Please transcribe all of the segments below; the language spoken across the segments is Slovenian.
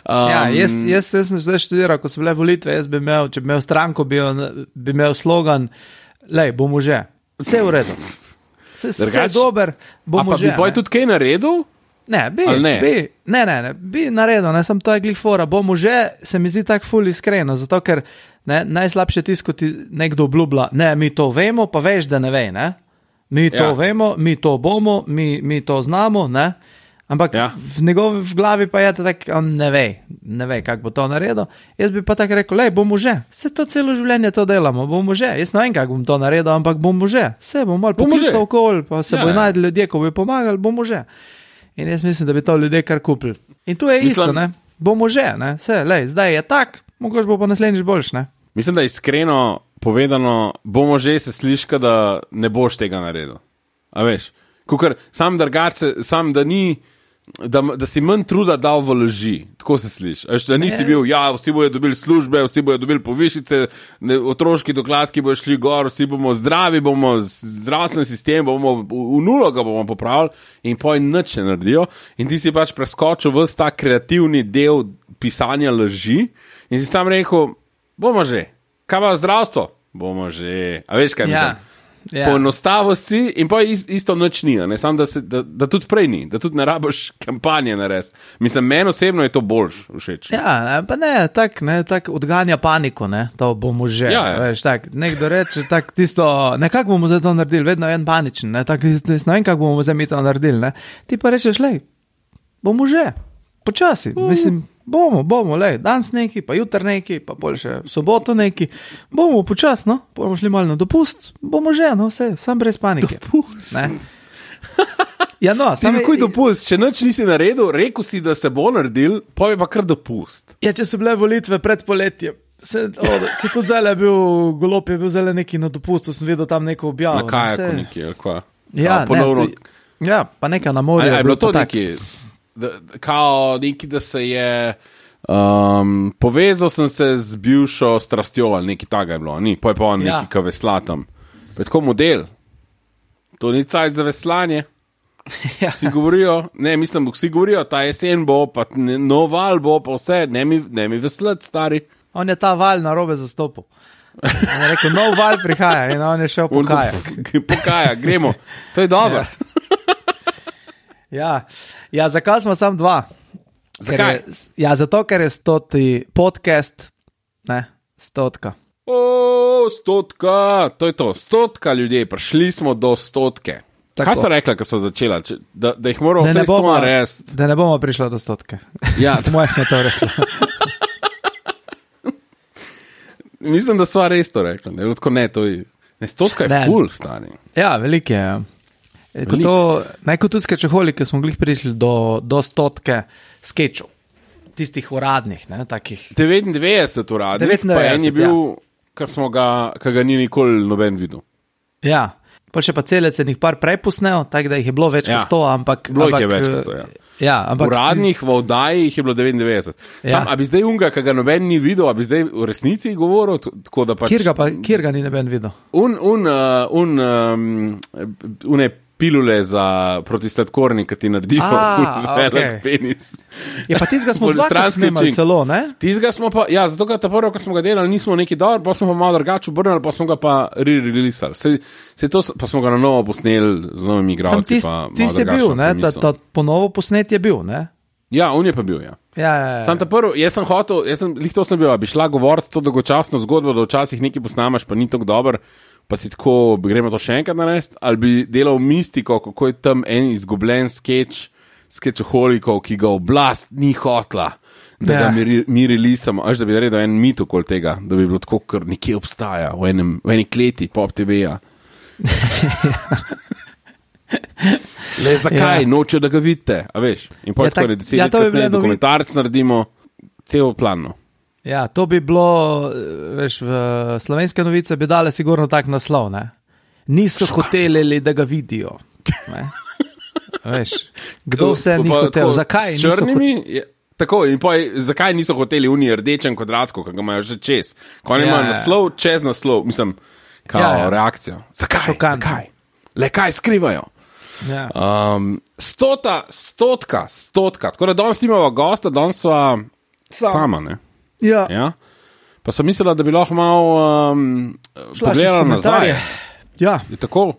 Jaz sem zdaj študiral, ko so bile volitve, jaz bi imel, če bi imel stranko, bi imel slogan, lej, bomo že, vse v redu. Vse dober, bomo že. A pa bi poj tudi kaj naredil? Ne, bi naredil, ne, sem to je glih fora, bomo že, se mi zdi tak ful iskreno, zato ker najslabše tisto, ko ti nekdo obljublja, ne, mi to vemo, pa veš, da ne ve, ne. Mi to vemo, mi to bomo, mi to znamo, ne. Ampak v njegovi glavi pa je tak, on ne ve, kako bo to naredil. Jaz bi pa tako rekel, lej, bomo že, vse to celo življenje to delamo, bomo že, jaz ne vem, kako bom to naredil, ampak bomo že, vse bom malo poklical okol, pa se bo najdel ljudje, ko bi pomagali, bomo že. In jaz mislim, da bi to ljudje kar kupili. In tu je isto, ne, bomo že, ne, vse, lej, zdaj je tak, mogoče bo pa naslednjič boljš, ne. Mislim, da iskreno povedano, bomo že se sliška, da ne boš tega naredil. A veš, kukor sam drugače, sam da ni, da si manj truda dal v laži, tako se sliši. Da nisi bil, vsi bojo dobili službe, vsi bojo dobili povišice, otroški dokladki bojo šli gor, vsi bomo zdravi, bomo zdravstveni sistem, bomo v nulo ga bomo popravili in poj nič ne naredijo. In ti si pač preskočil ves ta kreativni del pisanja laži in si sam rekel, bomo že, kaj pa zdravstvo? Bomo že, a veš kaj mislim? Poenostavil si in pa isto nič ni, ne? Sam da tudi prej ni, da tudi ne rabiš kampanje narediti. Mislim, meni osebno je to boljš všeč. Ja, pa ne, tak odganja paniko, ne, to bomo že, veš, tak, nekdo reče, tak tisto, nekako bomo zdaj to naredili, vedno je en paničen, ne, tak, ne vem, kako bomo zdaj mi to naredili, ne, ti pa rečeš, lej, bomo že, počasi, mislim, bomo, lej, danes neki, pa jutr neki, pa bolj še v soboto neki, bomo počas, no, bomo šli malo na dopust, bomo že, no, vse, sam brez panike. Dopust? Ne? Ja, no, sam je... dopust, če nič nisi naredil, rekel si, da se bo naredil, pa je pa kar dopust. Ja, če so bile volitve pred poletjem, se tudi zdaj bil, Golob je bil zdaj neki na dopustu, sem videl tam neko objavo. Na kajaku neki, ali kva? Ja, ponovno... pa neka na morju. Je bilo to neki... Kao neki, da se je povezal sem se z bivšo strastjo ali nekaj taga je bilo, ni, pa je pa on neki ka vesla tam. Pa je tako model. To ni cajt za veslanje. Vsi govorijo, vsi govorijo, ta jesen bo, pa nov val bo, pa vse, ne mi veslati, stari. On je ta val na robe zastopil. On je rekel, nov val prihaja in on je šel po kajak. Po kajak, gremo. To je dobro. Ja, zakaj smo sam dva? Zakaj? Zato, ker je 100. podcast, ne, 100. 100, to je to, 100 ljudje, prišli smo do 100. Kaj so rekla, ko so začela? Da jih moramo vse to narediti? Da ne bomo prišli do 100. Ja. Moje smo to rekli. Mislim, da sva res to rekla. Ne, to je 100 je ful stani. Ja, veliko je, Kot tudi skečoholike smo glih prišli do 100 skečov, tistih uradnih, ne, takih. 99 uradnih, pa en je bil, kar ga ni nikoli noben videl. Ja, pa še pa celec je njih par prepusnel, tako da jih je bilo več kot 100, ampak... Bilo jih je več kot 100, ja. Ja, ampak... Uradnih v oddaji jih je bilo 99. Ja. A bi zdaj unga, kar ga noben ni videl, a bi zdaj v resnici govoril, tako da pač... Kjer ga ni noben videl? Une pilule za protisladkorni, ki ti naredijo velik penis. Je pa tizga smo dvakrat snemali celo, ne? Tizga smo pa, ja, zato ga ta prvo, ko smo ga delali, nismo neki dobro, pa smo pa malo drugače obrnili, pa smo ga pa re-releasali. Pa smo ga na novo posneli z novimi igralci. Tist je bil, ne? Ta ponovo posnet je bil, ne? Ja, on je pa bil, ja. Ja. Sam ta prvo, jaz sem hotel, lih to sem bil, bi šla govoriti to dolgočasno zgodbo, da včasih nekaj posnamaš, pa ni tako dober, pa si tako, gremo to še enkrat narediti, ali bi delal mistiko, kako je tam en izgubljen skečoholikov, ki ga oblast ni hotla, da ga mi releasamo, da bi naredil en mit okoli tega, da bi bilo tako, ker nekje obstaja, v eni kleti Pop TV-ja. Le zakaj? Nočejo, da ga vidite, a veš? In pa tako je 10 let kasneje dokumentarc naredimo celo planno. Ja, to bi bilo, veš, v Slovenske novice bi dale sigurno tak naslov, ne? Niso hoteli, da ga vidijo, ne? Veš, kdo vse ni hotel, zakaj niso hoteli? Tako, in pa zakaj niso hoteli unij rdečem kvadratku, ki ga imajo že čez? Ko oni imajo naslov, čez naslov, mislim, kao reakcijo. Zakaj? Le kaj skrivajo? Ja. 100, tako da danes nimamo gosta, danes sva Sama, ne? Ja. Ja? Pa sem mislila, da bi lahko malo pogledala nazaj. Ja. Je tako,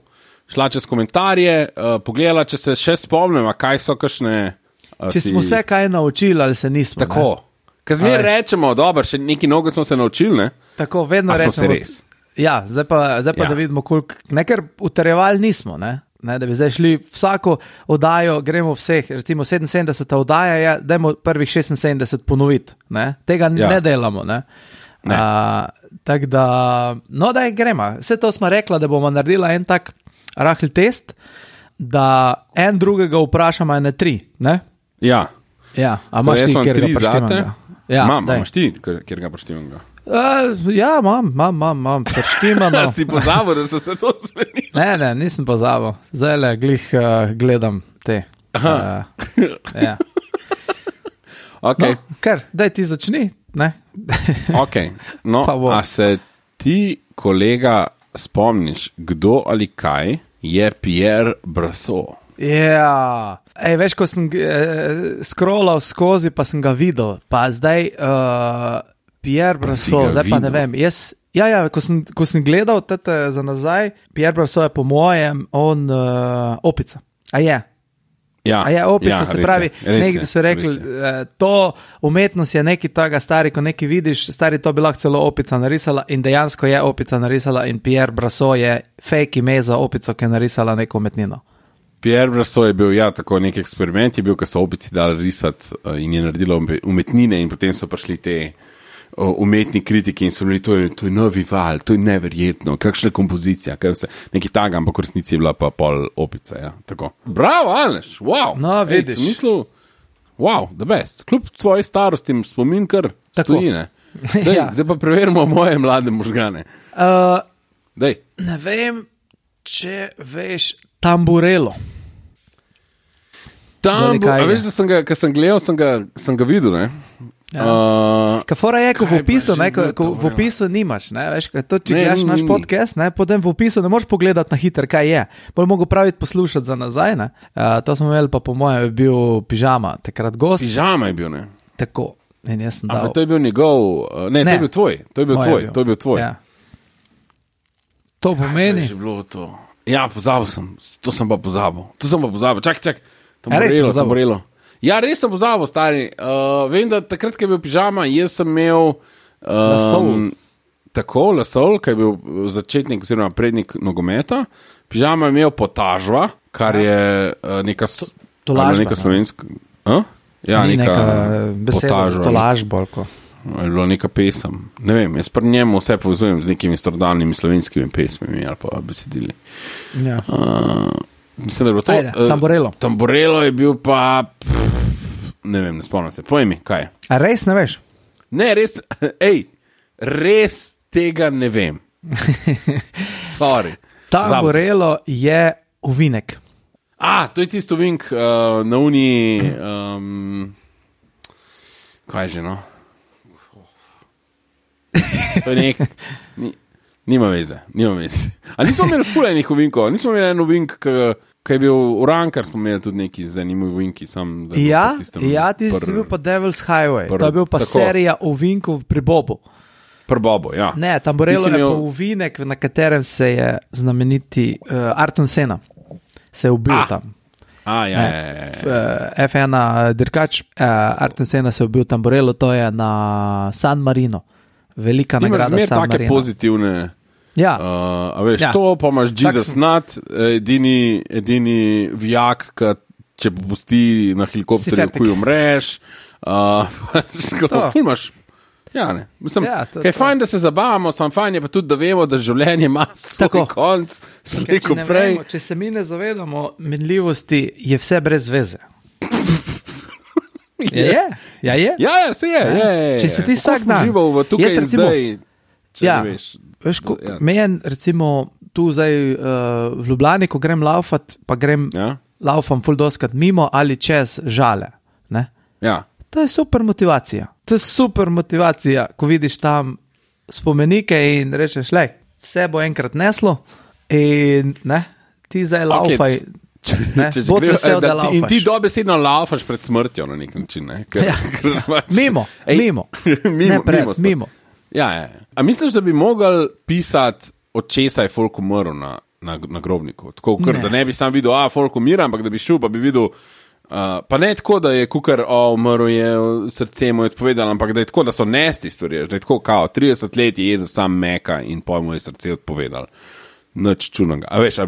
šla čez komentarje, pogledala, če se še spomnimo, kaj so kakšne... Če smo se kaj naučili ali se nismo. Tako. Ker zmer rečemo, dobro, še neki nogo smo se naučili, ne? Tako, vedno rečemo. Smo se res. Ja, zdaj pa da vidimo, koliko... Nekaj utrjevali nismo, ne? Ne, da bi zdaj šli vsako oddajo, gremo vseh, recimo 77 oddaja je, dajmo prvih 76 ponoviti, ne? Tega ne delamo, ne? Tako da, no daj gremo, vse to smo rekla, da bomo naredila en tak rahli test, da en drugega vprašamo ene 3, ne? Ja. Ja, a imaš ti, kjer ga preštimam? Ja, imaš ti, kjer ga preštimam ga? Ja, imam, preštimano. Si pozabil, da so se to zmenili? Ne, nisem pozabil. Zdaj le glih gledam te. Ja. Ok. No, kar, daj ti začni, ne? Ok, no, a se ti, kolega, spomniš, kdo ali kaj je Pierre Brasseur? Ja, veš, ko sem scrollal skozi, pa sem ga videl, pa zdaj Pierre Brasseur, zdaj pa ne vem, jaz, ko sem gledal tete za nazaj, Pierre Brasseur je po mojem, on opica, a je opica, se pravi, nekaj so rekli, to umetnost je nekaj tega stari, ko nekaj vidiš, stari to bi lahko celo opica narisala in dejansko je opica narisala in Pierre Brasseur je fake ime za opico, ki je narisala neko umetnino. Pierre Brasseur je bil, tako nek eksperiment, je bil, ko so opici dali risati in je naredila umetnine in potem so prišli te umetni kritiki in so bili, to je novi val, to je neverjetno, kakšna kompozicija, nekaj taga, ampak v resnici je bila pa pol opica, ja, tako. Bravo, Aleš, wow! No, vidiš. Sem mislil, wow, the best. Kljub tvoji starosti spomin kar stoji, ne? Zdaj pa preverimo moje mlade možgane. Ne vem, če veš Tamburello. A veš, da sem ga, ko sem gledal, sem ga videl, ne? Kafora je, ko v opisu, ko v opisu nimaš, ne? Veš, to, če gledaš naš podcast, ne? Potem v opisu ne moreš pogledati na hiter, kaj je. Bolj mogo praviti poslušati za nazaj, ne? To smo imeli pa po mojem, je bil Pižama, takrat gost. Pižama je bil, ne? Tako, in jaz sem dal. To je bil njegov, to je bil tvoj. Ja. To pomeni. Kaj je že bilo to? Ja, pozabil sem, to sem pa pozabil. Čak, Tamburello. Ja, res sem pozabil, stari. Vem, da takrat, ko je bil Pižama, jaz sem imel Lasol, ki je bil začetnik oziroma prednik nogometa. Pižama je imel Potažva, kar je neka slovenska... Ja, neka beseda za tolažbo. Je bilo neka pesem. Ne vem, jaz pri njemu vse povezujem z nekimi starodavnimi slovenskimi pesmimi ali pa besedili. Ja. Mislim, da je bilo to. Ajde, Tamburello. Tamburello je bil pa... ne vem, ne spomnim se. Povej mi, kaj je? A res ne veš? Ne, res tega ne vem. Sorry. Tamburello je ovinek. To je tisto ovink na uni... kaj je že, no? To je nek... Nima veze. A nismo imeli fulejnih ovinkov? Nismo imeli en ovink, ki je bil Urankar, smo imeli tudi neki zanimivi ovinki. Ti si bil pa Devil's Highway. To je bil pa serija ovinkov pri Bobu. Pri Bobu, ja. Ne, Tamburello je pa ovinek, na katerem se je znameniti Ayrton Senna. Se je ubil tam. F1 dirkač, Ayrton Senna se je ubil Tamburello, to je na San Marino. Velika nagrada San Marino. Take pozitivne. Ja. Veš, to pa imaš Jesus Nut, edini vijak, če pusti na helikopterju, ko umreš. Ful imaš. Ja, ne. Mislim, kaj je fajn, da se zabavamo, sam fajn je pa tudi, da vemo, da življenje ima svoj konc, sliko prej. Če se mi ne zavedamo minljivosti, je vse brez veze. Je. Ja, se je. Če se ti vsak dan žival v tukaj in zdaj, če ne veš. Veš, meni recimo tu zdaj v Ljubljani, ko grem laufat, pa laufam ful doskrat mimo ali čez Žale. Ne? Ja. To je super motivacija. Ko vidiš tam spomenike in rečeš, vse bo enkrat neslo in ne, ti zdaj laufaj. In ti dobesedno laufaš pred smrtjo na nek način. Ne? Mimo. Ja. A misliš, da bi mogel pisati, od česa je folk umrl na grobniku? Tako, da ne bi sam videl, folk umira, ampak da bi šel, pa bi videl, pa ne tako, da je kukar, umrl je, srce mu je odpovedalo, ampak da je tako, da so nesti stvari, da je tako, 30 let je jedel sam meka in pol mu je srce odpovedalo. Nič čudnega. A veš,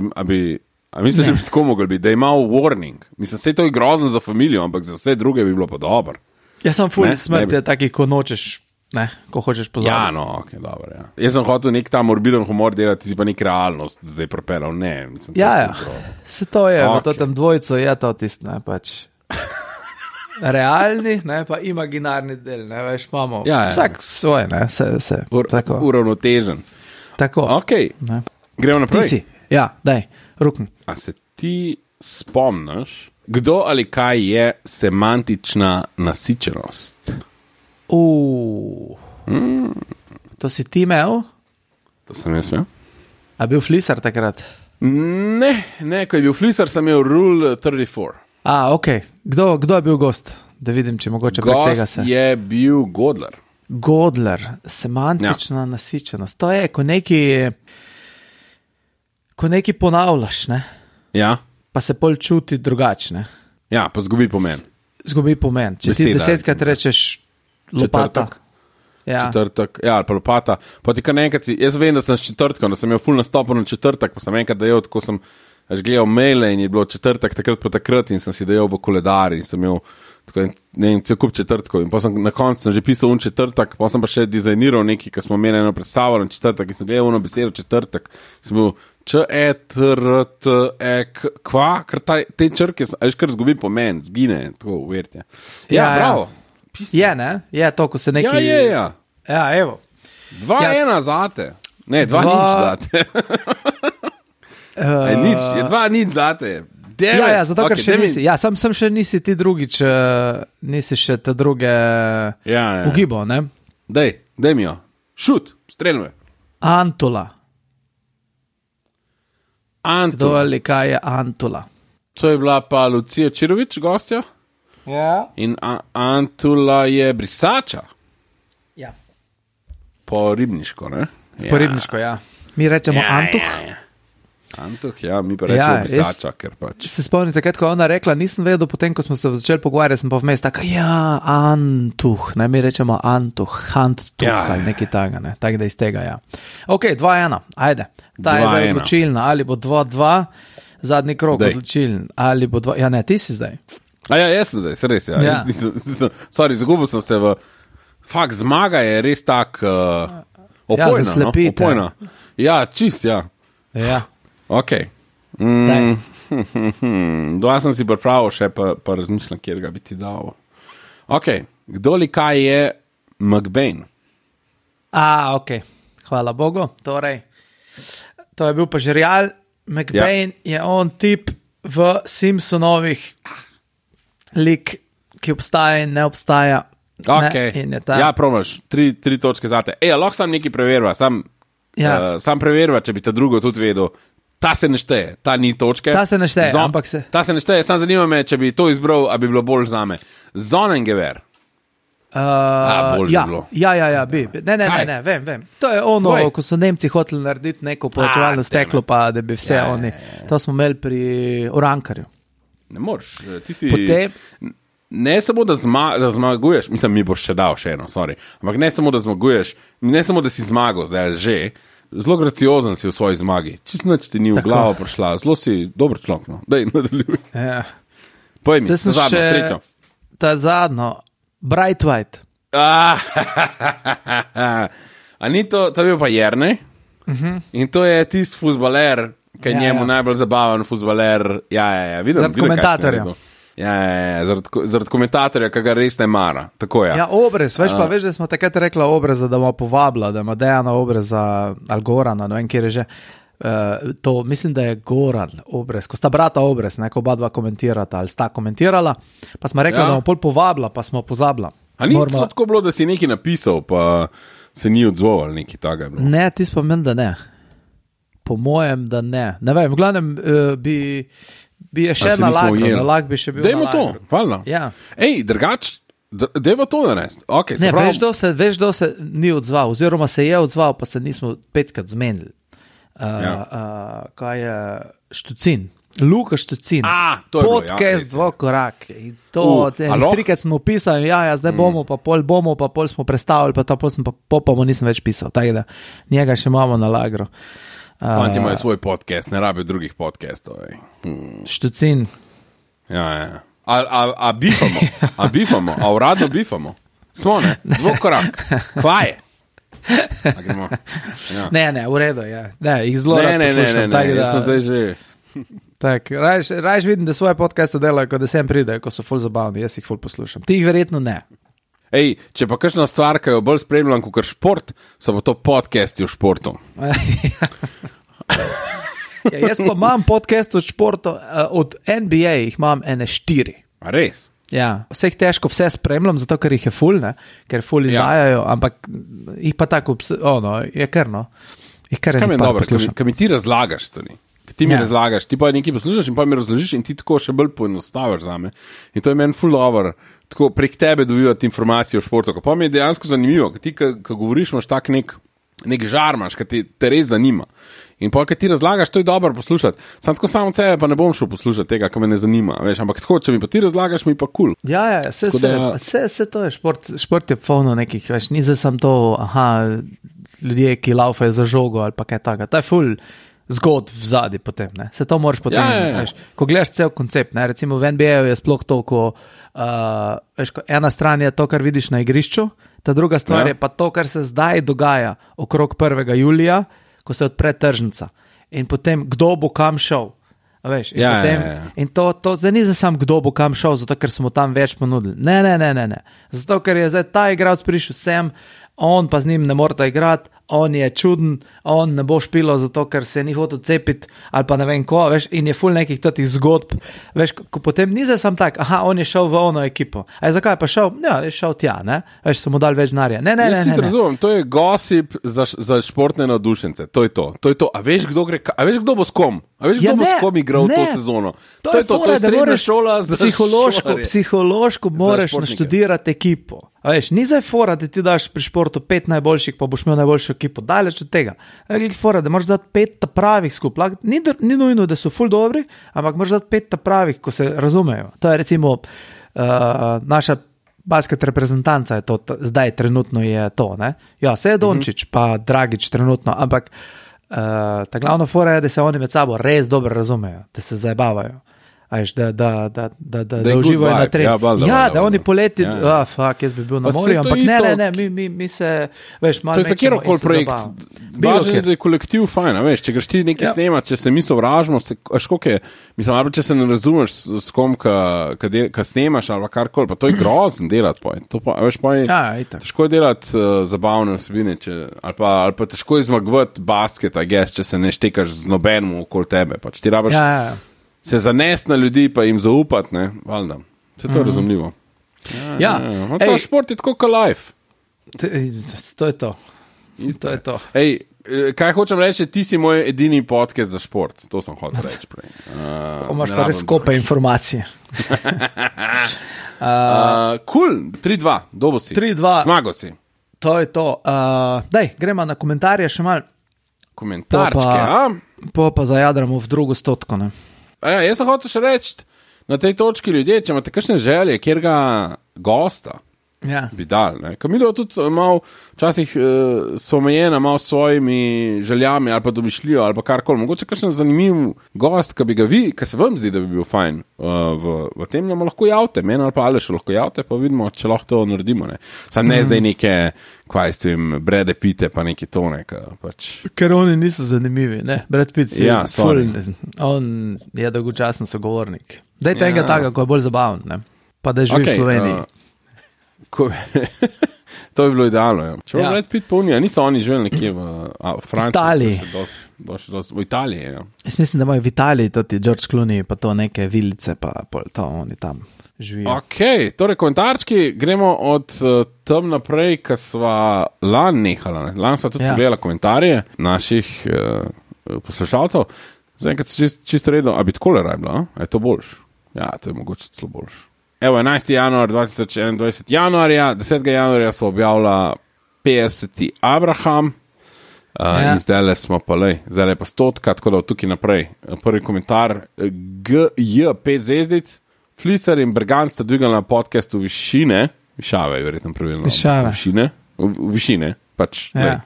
a misliš, da bi tako mogel biti, da je imel warning? Mislim, vse to je grozno za familijo, ampak za vse druge bi bilo pa dobro. Jaz sem ful smrt je takih, ko nočeš, ko hočeš pozabiti. Ja, no, ok, dobro, ja. Jaz sem hotel nek ta morbiden humor delati, si pa nek realnost zdaj propelal, ne. Mislim, se to je, v tem dvojcu je to tisto, ne, pač. Realni, ne, pa imaginarni del, ne, veš, imamo. Vsak svoj, ne, se tako. Uravnotežen. Tako. Ok, gremo naprej. Ti si, daj, rukni. A se ti spomniš, kdo ali kaj je semantična nasičenost? To si ti imel? To sem jaz imel. A bil Flisar takrat? Ne, ko je bil Flisar, sem imel Rule 34. Ok. Kdo je bil gost? Da vidim, če mogoče prek tega se. Gost je bil Godler. Godler, semantična nasičenost. To je, ko nekaj ponavljaš, ne? Ja. Pa se pol čuti drugačne. Ja, pa zgubi pomen. Zgubi pomen. Če ti 10krat rečeš lopata. Četrtek, ali pa lopata. Pa ti kar nekaj jaz vem, da sem s četrtkom, da sem imel ful nastopil na četrtek, pa sem enkrat dejal, tako sem gledal maile in je bilo četrtek takrat in sem si dejal v koledar in sem imel tako, ne vem, cel kup četrtkov in pa sem na koncu že pisal četrtek, pa sem pa še dizajniral nekaj, ki smo imeli eno predstavo na četrtek in sem gledal ono besedo četrtek, sem bil kva, ker te črke, veš, kar zgubi pomen, zgine, tako uverite. Ja, bravo. Je, ne? Je to, ko se nekaj... Ja. Ja, evo. 2-1 zate. Ne, 2-0 zate. Je 2-0 zate. Ja, zato ker še nisi. Ja, sam še nisi ti drugič, nisi še te druge ugibal, ne? Dej mi jo. Šut, streljme. Antula. Kdo ali kaj je Antula? To je bila pa Lucija Čirović, gostja. Ja. In Antula je brisača. Ja. Po ribniško, ne? Po ribniško, ja. Mi rečemo Antuh. Antuh, ja, mi pa rečemo brisača, ker pač. Se spomnite, ko je ona rekla, nisem vedel, potem, ko smo se začeli pogovarjati, sem pa vmes tako, Antuh, ne, mi rečemo Antuh, ali nekaj taga, ne, tako da iz tega, ja. Ok, 2-1, ajde. Ta je zdaj odločilna, ali bo 2-2, zadnji krog odločiln, ali bo 2, ja ne, ti si zdaj. Jaz sem zdaj, se res, ja. Sorry, zagubil sem se v, fakt, zmaga je res tak opojna. Ja, čist, ja. Ja. Ok. Dva sem si pripravil še, pa razmišljam, kjer ga bi ti dal. Ok, kdo li kaj je McBain? Ok, hvala Bogu. Torej, to je bil pa žerjal. McBain je on tip v Simpsonovih lik, ki obstaja in ne obstaja. Ok, ja, probaš, 3 točke zate. Lahko sam nekaj preverva, sam preverva, če bi ta drugo tudi vedel. Ta se ne šteje, ta ni točke. Ta se ne šteje, ampak se... Ta se ne šteje, sam zanima me, če bi to izbral, a bi bilo bolj zame. Zonengever. Bolj ja, bilo. Ja, bi. Ne, vem. To je ono, ko so Nemci hoteli narediti neko povečevalno steklo, pa da bi vse oni... To smo imeli pri Urankarju. Ne moreš, ti si... Ne samo, da zmaguješ, mislim, mi boš še dal še eno, sorry, ampak ne samo, da zmaguješ, ne samo, da si zmagal, zdaj že, zelo graciozen si v svoji zmagi, čisto nič ti ni v glavo prišla, zelo si dober človek, no, daj, nadaljuj. Ja. Povej mi, zadnjo, tretjo. Ta zadnjo, Bright White. A ni to je bil pa Jernej, in to je tisti fuzbaler, ki je njemu najbolj zabaven fuzbaler, vidim, zaradi komentatorja. Zaradi komentatorja, ki ga res ne mara. Tako je. Ja, Obrez, veš, da smo takrat rekla Obreza, da ima povabila, da ima Dejana Obreza ali Gorana, ne vem, kjer je že. To, mislim, da je Goran Obrez, ko sta brata Obrez, ko oba dva komentirata ali sta komentirala, pa smo rekla, da bomo pol povabila, pa smo pozabila. A ni tako bilo, da si nekaj napisal, pa se ni odzval ali nekaj takega? Ne, ti spomen, da ne. Po mojem, da ne. Ne vem, v glavnem bi je še na lag bi še bil. Dajmo to, hvala. Ja. Ej, drugač, dajmo to narediti. Okay, ne, veš, kdo se ni odzval, oziroma se je odzval, pa se nismo 5krat zmenili. Kaj je Štucin? Luka Štucin. Podcast Dvokorak. Trikrat smo pisali, zdaj bomo, pa pol smo predstavili, pa ta pol sem pa nisem več pisal, tako da njega še imamo na lagru. Fanti imajo svoj podcast, ne rabijo drugih podcastov. Štucin. Ja. A bifamo, a uradno bifamo. Smo, ne? Dvokorak. Kva je? Ja. Ne, v redu, ja. Ne, jih zelo rad poslušam. Ne, jaz sem zdaj že... Rajš vidim, da svoje podcaste delajo, ko da sem pride, ko so ful zabavni, jaz jih ful poslušam. Ti jih verjetno ne. Ej, če pa kakšna stvar, ki jo bolj spremljam kot šport, so pa to podcasti o športu. Jaz pa imam podcast o športu, od NBA jih imam 4. A res? Ja, vse jih težko vse spremljam, zato ker jih je ful, ne? Ker ful izdajajo, ampak jih pa tako, je krno. Kaj mi je dobro, kaj mi ti razlagaš stvari? Ti mi razlagaš, ti pa nekaj poslušaš in pa mi razložiš in ti tako še bolj poenostaviš zame. In to je meni ful dobro, tako prek tebe dobivati informacije o športu. Pa mi je dejansko zanimivo, ker ti, ko govoriš, imaš tak nek žar, imaš, ki te res zanima. In pa, ko ti razlagaš, to je dobro poslušati. Sam tako samo od sebe pa ne bom šel poslušati tega, kar me ne zanima. Veš, ampak tako, če mi pa ti razlagaš, mi pa kul. Ja, vse to je šport je polno nekih, veš, ni za sam to, ljudje, ki laufajo za žogo ali pa kaj taka. To je ful zgod v zadnji potem, ne. Se to moraš potem, veš, ko gledaš cel koncept, ne, recimo v NBA-ju je sploh to, veš, ena stran je to, kar vidiš na igrišču, ta druga stvar je pa to, kar se zdaj dogaja okrog 1. julija, ko se odpre tržnica in potem kdo bo kam šel, veš, in potem in to zdaj ni za sam kdo bo kam šel, zato ker smo tam več ponudili, ne, zato ker je zdaj ta igralec prišel sem, on pa z njim ne morata igrati, on je čuden, on ne bo špilo zato, ker se ni hotel cepiti ali pa ne vem ko, veš, in je ful nekih totih zgodb, veš, ko potem ni za sam tak, on je šel v ono ekipo, zakaj pa šel? Ja, je šel tja, ne, veš, so mu dali več denarja, ne. Jaz si razumem, to je gossip za športne navdušence, to je to, a veš kdo bo s kom? A veš kdo bo s kom igral to sezono? To je srednja šola za psihološko moraš naštudirati ekipo. A veš, ni zdaj fora, da ti daš pri športu 5 najboljših, pa boš imel najboljšo ekipo, daleč od tega. Fora, da moraš dati 5 pravih skupaj. Ni nujno, da so ful dobri, ampak moraš dati 5 pravih, ko se razumejo. To je recimo naša basket reprezentanca, je to, zdaj trenutno je to, ne? Ja, se je Dončić, pa Dragić trenutno, ampak ta glavna fora je, da se oni med sabo res dobro razumejo, da se zabavajo. Veš, da uživajo na treningu. Da oni poleti, jaz bi bil na morju, ampak ne, mi se, veš, malo mečemo in se zabavamo. To je za kjerokoli projekt. Važno je, da je kolektiv fajn, veš, če greš ti nekaj snemati, če se mi sovražimo, mislim, če se ne razumeš s kom, ka snemaš ali karkoli, pa to je grozno delati, veš, pa je težko delati zabavne osebine, ali pa težko je zmagovati basket, če se ne štekaš z nobenim okoli tebe, pa če ti rabiš se zanesti na ljudi, pa jim zaupati, ne, valjda. Se to je razumljivo. To šport je tako kot life. To je to. To je to. Ej, kaj hočem reči, ti si moj edini podcast za šport. To sem hotel reči prej. Imaš pa res skope informacije. Cool, 3-2, dobo si. 3-2. Zmago si. To je to. Daj, gremo na komentarje še malo. Komentarčke, pa zajadramo v drugo stotko, ne. Jaz sem hotel še reči, na tej točki ljudje, če imate kakšne želje, kjer ga gosta bi dal. Kamilo tudi malo, včasih so omejena malo s svojimi željami ali pa domišljijo ali pa karkoli. Mogoče kakšen zanimiv gost, ki bi ga vi, ki se vam zdi, da bi bil fajn v tem, nam lahko javite, meni ali pa Aleš lahko javite, pa vidimo, če lahko to naredimo. Sam ne zdaj neke, kaj s tem, Brede Pitte pa neki tone. Ker oni niso zanimivi, ne? Brad Pitt on je dolgočasen sogovornik. Dajte enega taka, ko je bolj zabaven, ne? Pa da živi v Sloveniji. To bi bilo idealno. Če bo Brad Pitt polnija, niso oni živeli nekje v Franciji. V Italiji, Jaz mislim, da imajo v Italiji tudi George Clooney, pa to neke vilice, pa to oni tam živijo. Torej komentarčki, gremo od tam naprej, ko sva lan nehala. Lan sva tudi pogledala komentarje naših poslušalcev. Zaenkrat se čisto redno, a bi tako le rabila, a je to boljš? Ja, to je mogoče celo boljš. Evo, 11. januar 2021, januarja, 10. januarja so objavila 50. Abraham, in zdaj smo pa zdaj je pa 100, tako da od tukaj naprej. Prvi komentar, GJ 5 zvezdic, Flicer in Bergant sta dvigali na podcastu Višave, je verjetno pravilno. Višine, pač. Ja.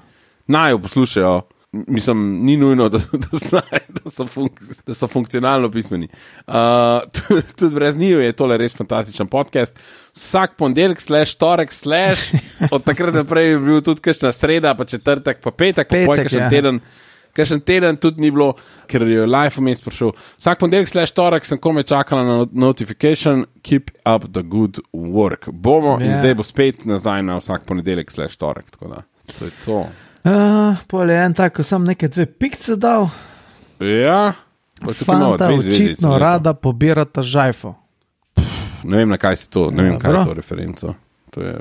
Naj jo poslušajo. Mislim, ni nujno, da so funkcionalno pismeni. Tudi brez njih je tole res fantastičen podcast. Vsak ponedeljek / torek / od takrat naprej je bil tudi kakšna sreda, pa četrtek, pa petek, pa kakšen teden tudi ni bilo, ker je live vmes prišel. Vsak ponedeljek / torek sem komaj čakala na notification, keep up the good work. Bomo in zdaj bo spet nazaj na vsak ponedeljek / torek, tako da to je to. Pol je en tako, sem neke 2 pikce dal. Ja. Fanta očitno rada pobirata žajfo. Ne vem, na kaj si to, ne vem, kaj je to referenco.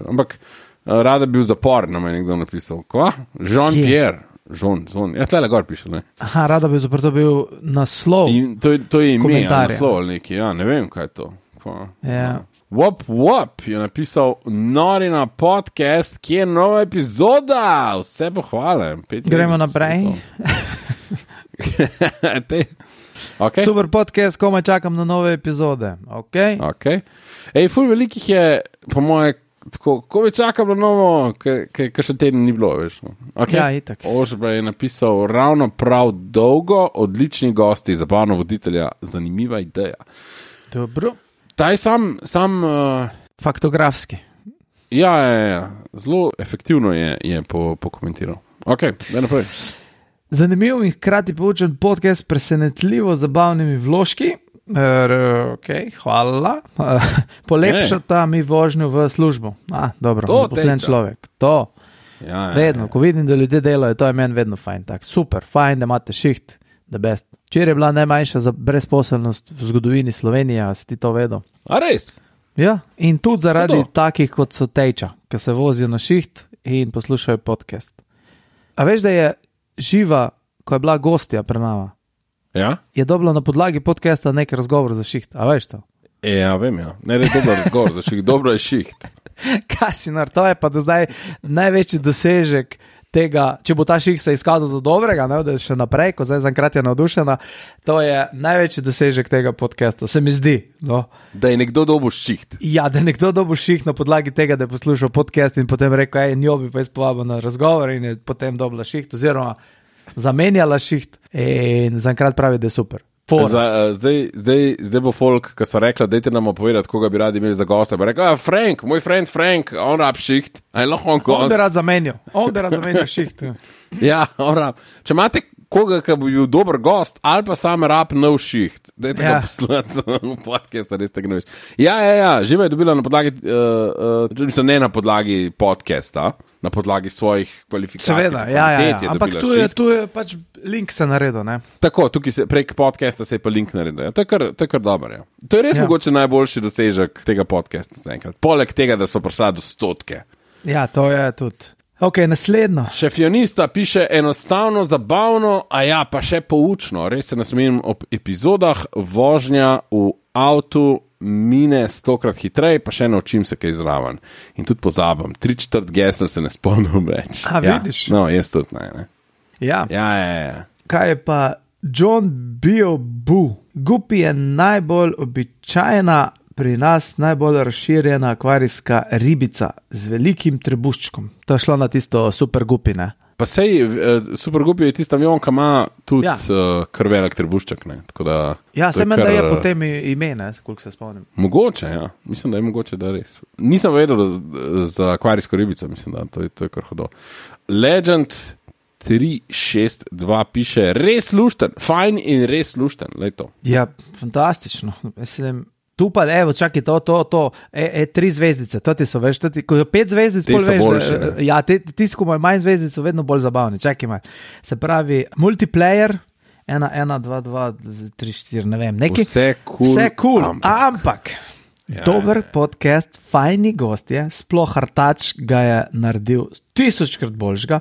Ampak rada bi v zapor, nam je nekdo napisal. Kva? Jean-Pierre. Jean. Ja, tlele gor piše, ne? Aha, rada bi zapravo bil naslov. In to je ime, naslov ali neki, ja, ne vem, kaj je to. Ja. Wop, je napisal Norina podcast, kje je nova epizoda. Vse pohvale. Gremo naprej. Okay. Super podcast, komaj čakam na nove epizode. Okay. Ej, ful velikih je, po moje, tako, ko bi čakam na novo, ker še teden ni bilo, veš. Okay. Ja, itak. Ožba je napisal ravno prav dolgo, odlični gosti, zabavno voditelja, zanimiva ideja. Dobro. Taj sam faktografski. Ja, zelo efektivno je pokomentiral. Ok, daj naprej. Zanimiv in hkrati poučen podcast, presenetljivo zabavnimi vložki. Ok, hvala. Polepšata mi vožnjo v službo. Dobro, zaposlen človek. To. Ja. Vedno, ko vidim, da ljudje delajo, to je meni vedno fajn. Tak. Super, fajn, da imate šiht. The best. Včeraj je bila najmanjša za brezposelnost v zgodovini Slovenije, si ti to vedel? A res? Ja, in tudi zaradi takih, kot so Tejča, ki se vozijo na šiht in poslušajo podcast. A veš, da je Živa, ko je bila gostja pri nama, ja? Je dobila na podlagi podcasta nek razgovor za šiht. A veš to? Ja, vem, ja. Ne je dobro razgovor za šiht, dobro je šiht. Kasinar, to je pa do zdaj največji dosežek tega, če bo ta ših se izkazal za dobrega, ne, da je še naprej, ko zdaj zaenkrat je navdušena, to je največji dosežek tega podcasta, se mi zdi. No. Da je nekdo dobil šiht. Ja, da je nekdo dobil šiht na podlagi tega, da je poslušal podcast in potem rekel, njo bi pa izpovabil na razgovor in je potem dobila šiht, oziroma zamenjala šiht in zaenkrat pravi, da je super. Zdaj bo folk, ki so rekla, dajte nam povedati, koga bi radi imeli za gosta. Bi rekel, Frank, moj friend Frank, on rab šiht. On bi rad zamenjal šiht. Ja, on rab. Če imate koga, ki bi bil dober gost, ali pa sam rab nov šiht, dajte ga poslati v podcast, da res tega ne veš. Ja, Živa je dobila na podlagi, ne na podlagi podcasta, na podlagi svojih kvalifikacij. Seveda, ampak tu je pač link se naredil, ne? Tako, tukaj prek podcasta se je pa link naredil. Ja. To je kar dobro, ja. To je res mogoče najboljši dosežek tega podcasta zaenkrat. Poleg tega, da so prišli do 100. Ja, to je tudi. Ok, naslednjo. Šefionista piše enostavno, zabavno, pa še poučno. Res se nasmenim ob epizodah, vožnja v avtu mine 100krat hitreje, pa še naučim se kaj zraven. In tudi pozabim. 3/4 gesel se ne spomnim več. Vidiš? No, jaz tudi ne. Ja. Ja. Kaj je pa John Biobu? Gupi je najbolj običajna, pri nas najbolj razširjena akvarijska ribica z velikim trebuščkom. To je šlo na tisto super gupi, ne? Pa sej, super gupi je tista avion, ki ima tudi kar velik trebušček, ne? Tako da, ja, se meni, da je potem ime, ne? Koliko se spomnim. Mogoče, ja. Mislim, da je mogoče, da res. Nisem vedel za akvarijsko ribico, mislim, da to je kar hodo. Legend 362 piše, res lušten, fajn in res lušten, lej to. Ja, fantastično, mislim. Tu pa, čakaj, to, 3 zvezdice, to ti so, veš, ko je 5 zvezdic, pol veš, boljše, ja, ti ko imajo manj zvezdic, so vedno bolj zabavni, čakaj malo. Se pravi, multiplayer, 1, 2, 2, 3, 4, ne vem, neki. Vse cool, ampak dober podcast, fajni gostje, sploh Artač ga je naredil 1000krat boljšega,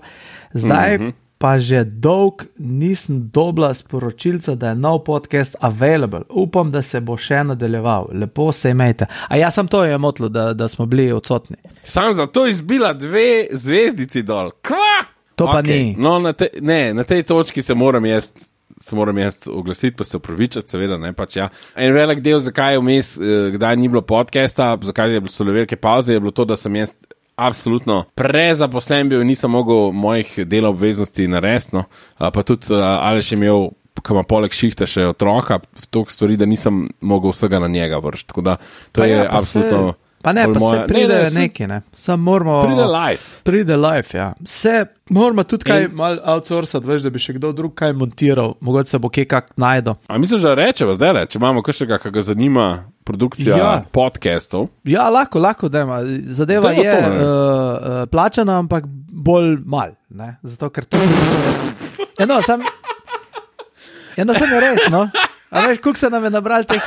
zdaj pa že dolg nisem dobila sporočilca, da je nov podcast available. Upam, da se bo še nadaljeval. Lepo se imejte. A ja, sam to je motlo, da smo bili odsotni. Sam zato izbila 2 zvezdici dol. Kva? To pa ni. No, na tej točki se moram jaz oglasiti, pa se upravičati, seveda, ne pač ja. En velik del, zakaj je vmes, kdaj ni bilo podcasta, zakaj so bile velike pauze, je bilo to, da sem jaz absolutno prezaposlen bil in nisem mogel mojih delov obveznosti narediti, no. Pa tudi Aleš je imel, ko ima poleg šihta še otroka, toliko stvari, da nisem mogel vsega na njega vršiti, tako da to pa je ja, absolutno... Pa ne, pa se pride neki, ne. Sam moramo... Pride live, ja. Se moramo tudi kaj malo outsourcati, veš, da bi še kdo drug kaj montiral, mogoče se bo kaj kak najdo. A misliš, da rečeva zdaj, če imamo kakšnega, ki ga zanima produkcija podcastov? Ja, lahko, da ima. Zadeva je plačana, ampak bolj mal, ne. Zato, ker to... sam je res, no. A veš, koliko se nam je nabrali teh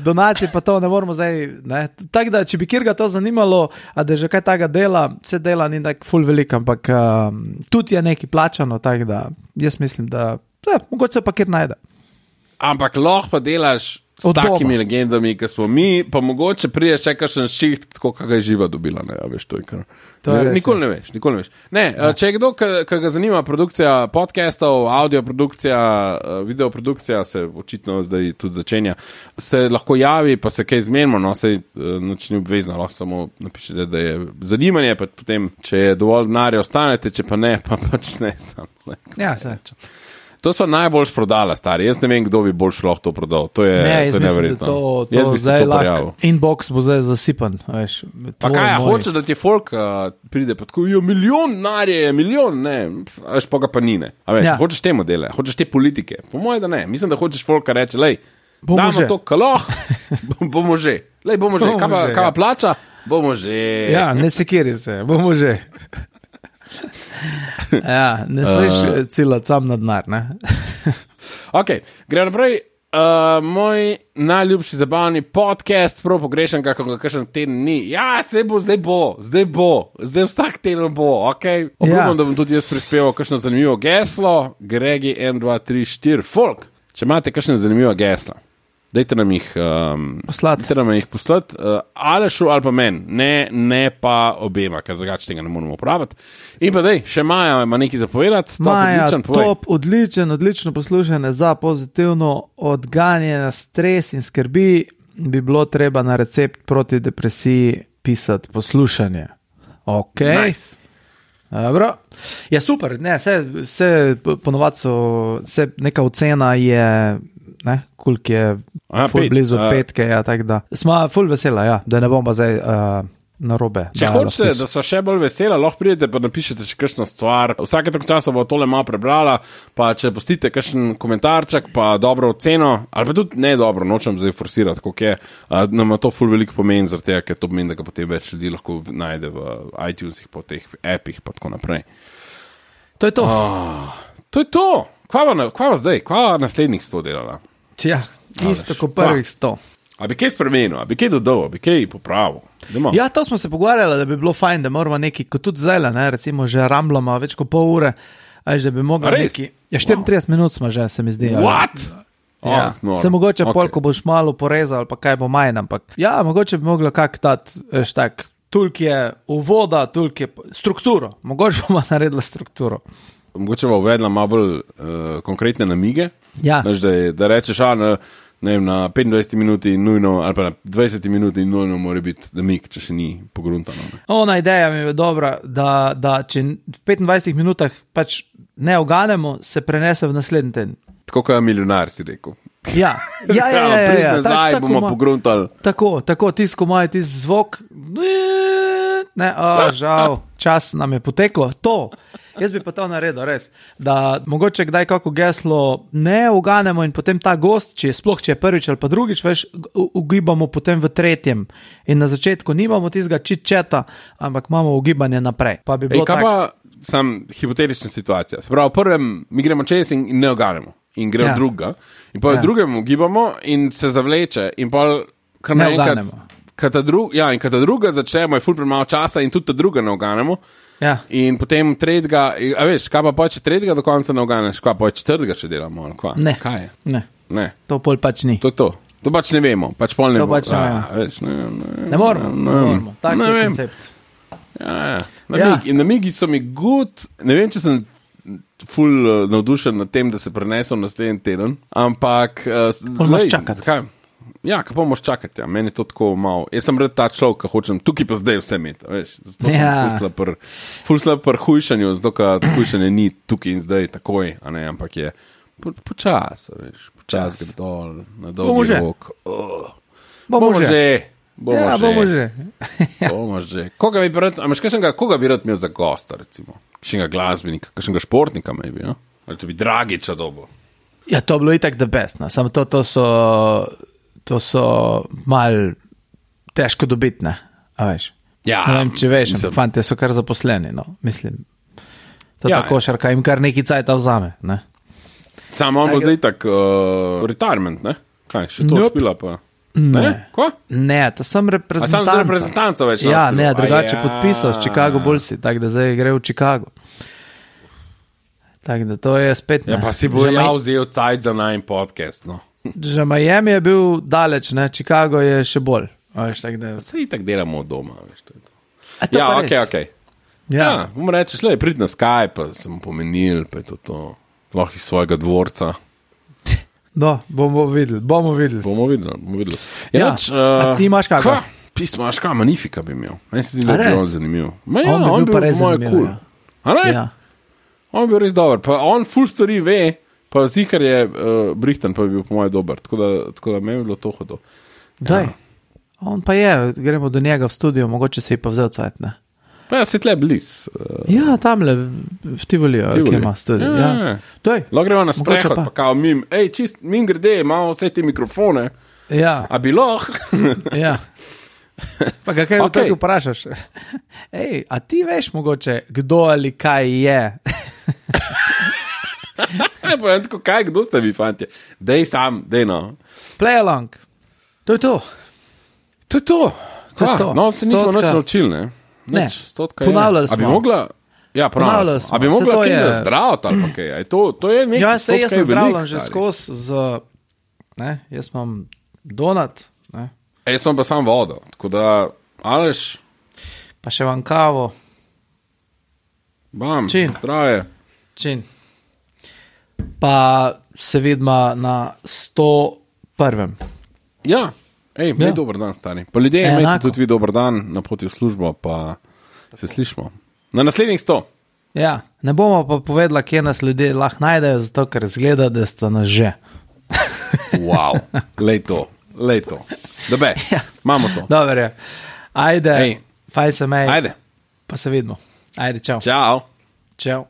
donacij, pa to ne moramo zdaj, ne. Tako da, če bi kjerga to zanimalo, a da že kaj taga dela, vse dela ni tak ful veliko, ampak tudi je neki plačano, tako da jaz mislim, da mogoče se pa kjer najde. Ampak lahko pa delaš s takimi legendami, ki smo mi, pa mogoče prije še kakšen šiht, tako kakaj je živa dobila, ne, a veš, to je kar... Nikoli ne veš. Ne, če je kdo, ki ga zanima produkcija podcastov, audioprodukcija, videoprodukcija, se očitno zdaj tudi začenja, se lahko javi, pa se kaj zmenimo, no, se nič ni obvezno, lahko samo napišete, da je zanimanje, pa potem, če je dovolj denarja, ostanete, če pa ne, pa pač ne, sam. Ja, se. To so najboljš prodala, stari. Jaz ne vem, kdo bi boljš lahko to prodal. To je neverjetno. Jaz bi se to prijavil. Inbox bo zdaj zasipan. Veš, pa kaj, hoče, da ti folk pride, pa tako, milijon denarja je, milijon, ne. Veš, pa ga pa ni, ne. A veš, hočeš te modele, hočeš te politike. Po moje, da ne. Mislim, da hočeš folka reči, lej, damo to kaloh, bomo že. Lej, bomo že. Kaj pa plača? Bomo že. Ja, ne sekiri se, bomo že. Ja, ne smeš ciljati sam na denar, ne? Ok, gremo naprej. Moj najljubši zabavni podcast, prav pogrešam, kako ga kakšen teden ni. Ja, zdaj vsak teden bo, ok? Obljubim, da bom tudi jaz prispeval kakšno zanimivo geslo. Gregi 1, 2, 3, 4, folk. Če imate kakšne zanimivo gesla, dajte nam jih poslati, Alešu ali pa meni, ne pa obema, ker drugače tega ne moramo upraviti. In pa še Maja ima nekaj zapovedati. Maja, odlično poslušanje za pozitivno odganjanje stres in skrbi, bi bilo treba na recept proti depresiji pisati poslušanje. Ok. Nice. Dobro. Ja, super, ne, vse ponovadi so, neka ocena je... Ne, koliko je ful blizu petke, ja, tako da. Smo ful vesela, ja, da ne bom pa zdaj narobe. Če hočete, da so še bolj vesela, lahko pridete pa napišete še kakšno stvar. Vsake tako časa bo tole malo prebrala, pa če postite kakšen komentarček, pa dobro oceno, ali pa tudi ne dobro, nočem zdaj forsirati, koliko je, nam to ful veliko pomeni, zaradi tega, ker to pomeni, da ga potem več ljudi lahko najde v iTunesih, po teh appih, pa tako naprej. To je to. To je to. Kva zdaj? Kva naslednjih 100 delala? Ja, isto kot prvih 100. A bi kaj spremenil, a bi kaj dodal, a bi kaj popravil? Ja, to smo se pogovarjali, da bi bilo fajn, da moramo neki, kot tudi zdaj, ne, recimo že ramblamo več kot pol ure, da bi mogli neki... Ja, 34 minut smo že, se mi zdi. What? Ja, se mogoče pol, ko boš malo porezal, ali pa kaj bo manj, ampak ja, mogoče bi moglo kak dati, veš tak, toliko je uvoda, toliko je strukturo, mogoče bomo naredili strukturo. Mogoče bo uvedla malo bolj konkretne namige, ja. Da rečeš, na 25 minuti nujno, ali pa na 20 minuti nujno mora biti namig, če še ni pogruntano. Ona ideja mi je dobra, da če v 25 minutah pač ne oganemo, se prenese v naslednji teden. Tako kot je milijonar, si rekel. Ja. Prid nazaj, bomo pogruntali. Tako, tisko moj zvok, ne, žal, čas nam je potekel, to. Jaz bi pa to naredil, res, da mogoče kdaj kako geslo ne uganemo in potem ta gost, če je prvič ali pa drugič, veš, ugibamo potem v tretjem in na začetku nimamo tistega chit-chata, ampak imamo ugibanje naprej. Pa bi bilo kaj pa sam hipotetična situacija, se pravi, v prvem mi gremo čez in ne uganemo in gre v druga in pa v drugem ugibamo in se zavleče in pa kar kad ta druga začnemo, je ful premalo časa in tudi ta druga ne uganemo. Ja. In potem tretjega, a veš, kaj pa če tretjega do konca ne uganeš, kaj pa četrtega še delamo, ali kva? Ne. Kaj je? Ne. To pol pač ni. To je to. To pač ne vemo, pač pol ne To vemo. pač ne vemo. Veš, Ne moramo. Tak je vem. koncept. Ja. Namigi so mi good, ne vem, če sem ful navdušen nad tem, da se prenesel na naslednji teden, ampak moraš čakati. Zakaj? Ja, kako moraš čakati, ja. Meni je to tako malo. Jaz sem red ta človek, ki hočem tukaj pa zdaj vse imeti, veš. Zato sem ful slab pri hujšanju, zato ker hujšanje ni tukaj in zdaj takoj, a ne, ampak je počas, veš, počas gre dol, na dolgi rok. Bomo že. Bomo že. Bomo že. Koga bi rad imel za gosta, recimo? Kakšnega glasbenika, kakšnega športnika, maybe, no? Ali to bi Dragiča dobil? Ja, to bilo itak the best, no. Samo to so mal težko dobiti, ne? A veš? Ja. Ne vem, če veš, fante so kar zaposleni, no, mislim. To košarka jim kar neki cajta vzame, ne? Samo on bo zdaj tak retirement, ne? Kaj, še to špila pa? Ne? Ko? Ne, to sem reprezentanca. A sam za reprezentanco več Ja, ne, drugače podpisal s Chicago Bullsi, tako da zdaj gre v Chicago. Tako da to je spet... Ja, pa si bo vzel cajt za najn podcast, no. Že Miami je bil daleč, ne, Chicago je še bolj. Veš, tak da... Se itak delamo od doma, veš, to je to. Ja, okej. Ja, bom rečeš, prid na Skype, pa sem pomenil, pa je to. Lahko iz svojega dvorca. No, bomo videli. Ja, a ti imaš kakva? Pismo, imaš kaj, Magnifika bi imel. Meni se zdi, da bi on zanimiv. Ja, on bi bil pa res zanimiv. Cool. A ne? Ja. On bi bil res dober. Pa on full story ve, pa zihar je Brihtan, pa bi bil po moje dober. Tako da meni bi bilo to hodo. Daj, on pa je, gremo do njega v studio, mogoče si pa vzel cajt, ne? Pa ja, si tle bliz. Ja, tamle v Tivolijo, ki ima studio. Ja. Lahko gremo na sprehod, pa kao mim, mim grede, imamo vse te mikrofone. Ja. A bi lahko? Ja. Pa ga kaj okay. Vprašaš? A ti veš mogoče, kdo ali kaj je? Pa tako, kdo ste vi, fantje? Dej sam, dej no. Play along. To je to. To je to. No, se nismo nič naučili, ne? Ne, ponavljali smo. A bi mogla... Ja, ponavljali smo. A bi mogla kaj je... zdraviti ali pa kaj? To je nekaj... Ja, se jaz sem zdravljen že skozi z... Ne, jaz imam donat, ne. Jaz imam pa sam vodo, tako da... Aleš... Pa še vam kavo. Bam, Čin. Zdraje. Čin. Pa se vidimo na 101. Ja. Imej dober dan, stari. Pa ljudje, imejte tudi vi dober dan na poti v službo, pa se slišimo. Na naslednjih 100. Ja, ne bomo pa povedala, kje nas ljudje lahko najdejo, zato ker zgleda, da sta nas že. Wow, lej to. Dobe, imamo to. Dobar je. Ajde, faj se mej. Ajde. Pa se vidimo. Ajde, čau. Čau. Čau.